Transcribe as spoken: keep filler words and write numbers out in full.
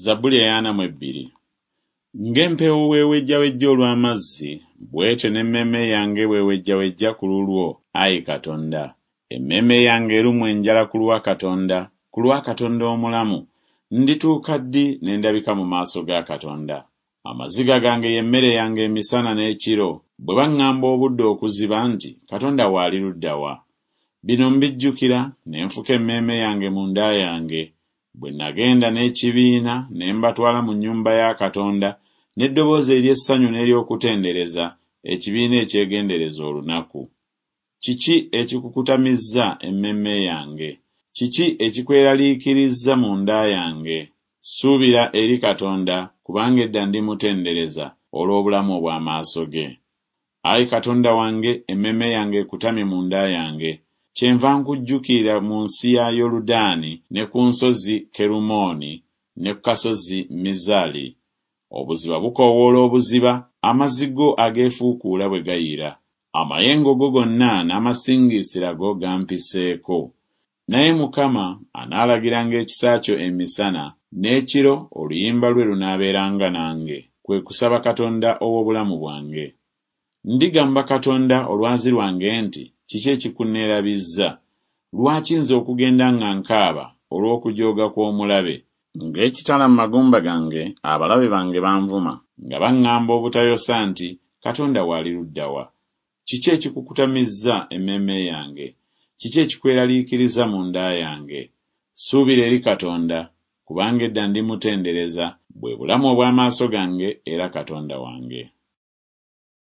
Zabbuli ey'ana mu ebbiri. Ng'empeewo bw'ewejjawejja olw'amazzi, bw'etyo n'emmeeme yange bw'ewejjawejja ku lulwo, ayi Katonda. Emmeeme yange erumwa enjala ku lwa Katonda, ku lwa Katonda omulamu. Ndituuka ddi ne ndabika mu maaso ga Katonda? Amaziga gange ye mmere yange emisana n'ekiro, bwe baŋŋamba obudde okuziba nti, Katonda wo ali ludda wa? Bino mbijjukira, ne nfuka emmeeme yange munda yange. Bwe nagenda n'ekibiina ne mbatwala mu nnyumba ya Katonda n'eddoboozi ery'essanyu n'ery'okutendereza, ekibiina ekyegendereza olunaku. Kiki ekikukutamizza emmeeme yange? Kiki ekikweraliikirizza munda yange? Suubira eri Katonda, kubanga edda ndimutendereza olw'obulamu obw'amaaso ge. Ayi Katonda wange, emmeeme yange ekutamye munda yange. Kyenva nkujjukira mu nsi ya Yoludaani ne ku nsozi Kerumooni ne ku kasozi Mizali. Obuziba bukoowoola obuziba, amazzi go ageefuukuula bwe gayira. Amayengo go gonna n'amasingiisira go gampiseeko. Naye Mukama anaalagiranga ekisa kyo emisana, n'ekiro oluyimba lwe lunaabeeranga nange, kwe kusaba Katonda ow'obulamu bwange. Ndigamba Katonda olwazi lwange nti, Kiki ekikunneerabizza? Lwaki nze okugenda nga nkaaba olw'okujooga kw'omulabe? Ng'ekitala mu magumba gange, abalabe bange banvuma, nga baŋŋamba obutayosa nti, Katonda wo ali ludda wa? Kiki ekikukutamizza emmeeme yange? Kiki ekikweraliikiriza munda yange? Suubira eri Katonda, kubanga edda ndimutendereza, bwe bulamu obw'amaaso gange era Katonda wange.